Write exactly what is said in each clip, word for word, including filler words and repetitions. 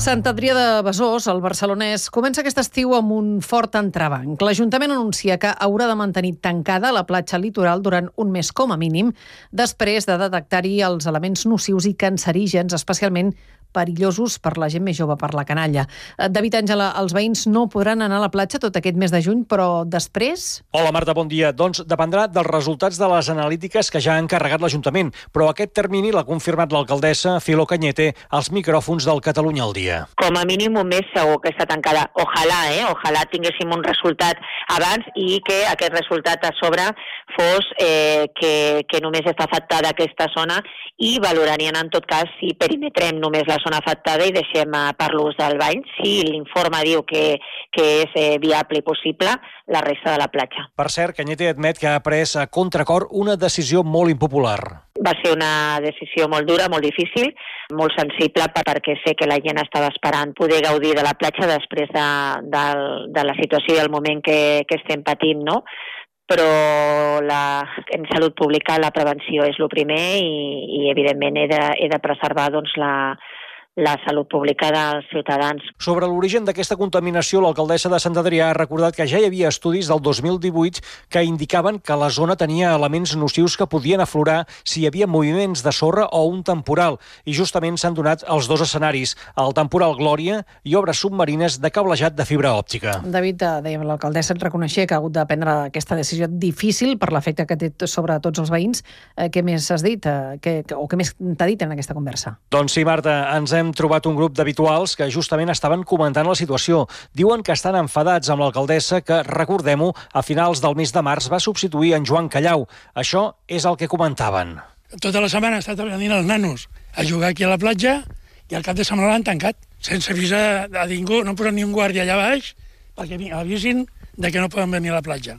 Sant Adrià de Besòs, el barcelonès, comença aquest estiu amb un fort entrebanc. L'Ajuntament anuncia que haurà de mantenir tancada la platja litoral durant un mes com a mínim, després de detectar-hi els elements nocius i cancerígens, especialment perillosos per la gent més jove, per la canalla. David Àngela, els veïns no podran anar a la platja tot aquest mes de juny, però després... Hola Marta, bon dia. Doncs dependrà dels resultats de les analítiques que ja ha encarregat l'Ajuntament, però aquest termini l'ha confirmat l'alcaldessa Filo Cañete als micròfons del Catalunya al dia. Com a mínim un mes segur que està tancada. Ojalà, eh? Ojalà tinguéssim un resultat abans i que aquest resultat a sobre fos eh, que, que només està afectada aquesta zona i valorarien en tot cas si perimetrem només la zona afectada i deixem eh, per l'ús del bany. Si l'informe diu que, que és eh, viable i possible, la resta de la platja. Per cert, Cañete admet que ha pres a contracor una decisió molt impopular. Va ser una decisió molt dura, molt difícil, molt sensible, perquè sé que la gent estava esperant poder gaudir de la platja després de, de, de la situació i el moment que, que estem patint, no? Però la, en salut pública la prevenció és el primer i, i evidentment he de, he de preservar doncs, la, la salut pública dels ciutadans. Sobre l'origen d'aquesta contaminació, l'alcaldessa de Sant Adrià ha recordat que ja hi havia estudis del dos mil divuit que indicaven que la zona tenia elements nocius que podien aflorar si hi havia moviments de sorra o un temporal, i justament s'han donat els dos escenaris, el temporal Glòria i obres submarines de cablejat de fibra òptica. David, dèiem, l'alcaldessa et reconeixia que ha hagut de prendre aquesta decisió difícil per l'efecte que té sobre tots els veïns. Eh, què més has dit? Eh, que, o què més t'ha dit en aquesta conversa? Doncs sí, Marta, ens hem trobat un grup d'habituals que justament estaven comentant la situació. Diuen que estan enfadats amb l'alcaldessa que, recordem-ho, a finals del mes de març va substituir en Joan Callau. Això és el que comentaven. Tota la setmana ha estat venint els nanos a jugar aquí a la platja i al cap de setmana l'han tancat, sense avisar a ningú, no posen ni un guàrdia allà baix perquè avisin de que no poden venir a la platja.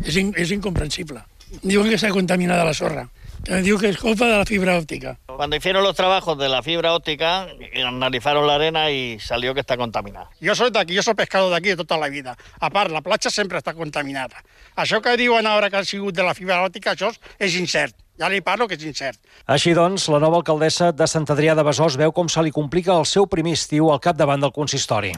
És, in, és incomprensible. Diuen que està contaminada la sorra, que diu que es culpa de la fibra óptica. Cuando hicieron los trabajos de la fibra óptica, analizaron la arena y salió que está contaminada. Jo soy d'aquí, jo soy pescador d'aquí de tota la vida. A part, la platja sempre està contaminada. Això que diuen ara que ha sigut de la fibra òptica, això és incert. Ja li parlo que és incert. Així doncs, la nova alcaldessa de Sant Adrià de Besòs veu com se li complica el seu primer estiu al capdavant del consistori.